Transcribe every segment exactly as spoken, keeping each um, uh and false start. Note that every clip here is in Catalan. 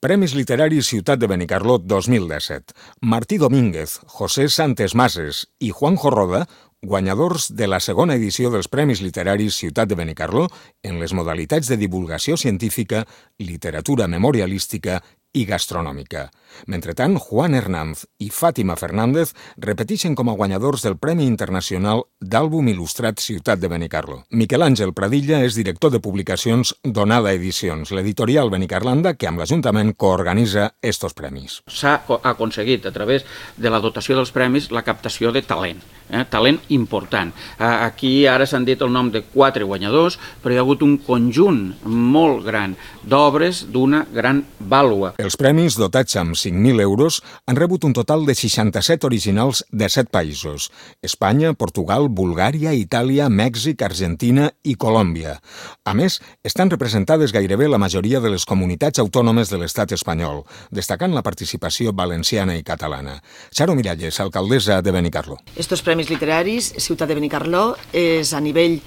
Premis Literaris Ciutat de Benicarló dos mil disset. Martí Domínguez, José Santes Mases i Juanjo Roda, guanyadors de la segona edició dels Premis Literaris Ciutat de Benicarló en les modalitats de divulgació científica, literatura memorialística i gastronòmica. Mentrestant, Juan Hernández i Fàtima Fernández repeteixen com a guanyadors del Premi Internacional d'Àlbum Il·lustrat Ciutat de Benicarló. Miquel Àngel Pradilla és director de publicacions d'Onada Edicions, l'editorial benicarlanda que amb l'Ajuntament coorganitza estos premis. S'ha aconseguit a través de la dotació dels premis la captació de talent, eh? talent important. Aquí ara s'han dit el nom de quatre guanyadors, però hi ha hagut un conjunt molt gran d'obres d'una gran vàlua. Els premis, dotats amb cinc mil euros, han rebut un total de seixanta-set originals de set països: Espanya, Portugal, Bulgària, Itàlia, Mèxic, Argentina i Colòmbia. A més, estan representades gairebé la majoria de les comunitats autònomes de l'estat espanyol, destacant la participació valenciana i catalana. Charo Miralles, alcaldessa de Benicarló. Estos premis literaris, Ciutat de Benicarló, és a nivell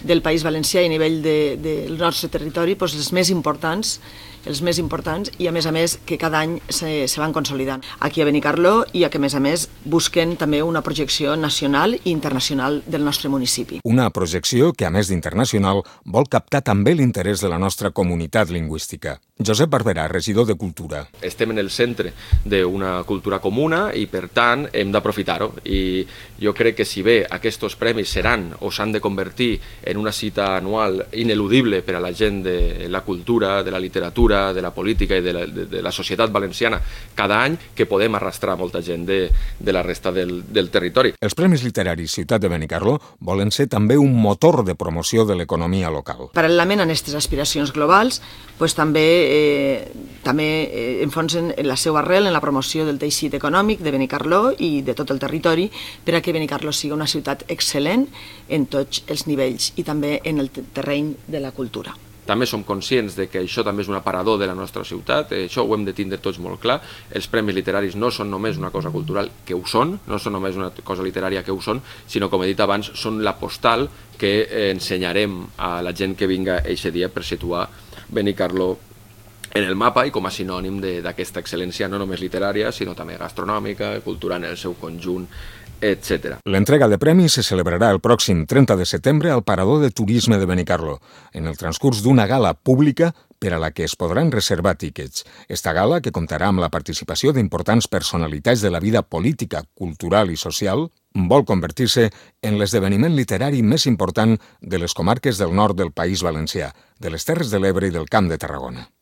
del País Valencià i a nivell de, del nostre territori doncs els més importants els més importants i a més a més que cada any se, se van consolidant aquí a Benicarló i a que a més a més busquen també una projecció nacional i internacional del nostre municipi. Una projecció que a més d'internacional vol captar també l'interès de la nostra comunitat lingüística. Josep Barberà, regidor de Cultura. Estem en el centre d'una cultura comuna i per tant hem d'aprofitar-ho i jo crec que si bé aquests premis seran o s'han de convertir en una cita anual ineludible per a la gent de la cultura, de la literatura, de la política i de la, de, de la societat valenciana cada any, que podem arrastrar molta gent de, de la resta del, del territori. Els Premis Literaris Ciutat de Benicarló volen ser també un motor de promoció de l'economia local. Paral·lelament a aquestes aspiracions globals, pues, també, eh, també eh, enfonsen la seva arrel en la promoció del teixit econòmic de Benicarló i de tot el territori per a que Benicarló sigui una ciutat excel·lent en tots els nivells i també en el terreny de la cultura. També som conscients de que això també és un aparador de la nostra ciutat, això ho hem de tindre tots molt clar. Els premis literaris no són només una cosa cultural, que ho són, no són només una cosa literària, que ho són, sinó, com he dit abans, són la postal que ensenyarem a la gent que vinga eixe dia per situar Benicarló en el mapa i com a sinònim d'aquesta excel·lència no només literària, sinó també gastronòmica, cultural en el seu conjunt, etcètera. L'entrega de premis se celebrarà el pròxim trenta de setembre al Parador de Turisme de Benicarló, en el transcurs d'una gala pública per a la que es podran reservar tíquets. Esta gala, que comptarà amb la participació d'importants personalitats de la vida política, cultural i social, vol convertir-se en l'esdeveniment literari més important de les comarques del nord del País Valencià, de les Terres de l'Ebre i del Camp de Tarragona.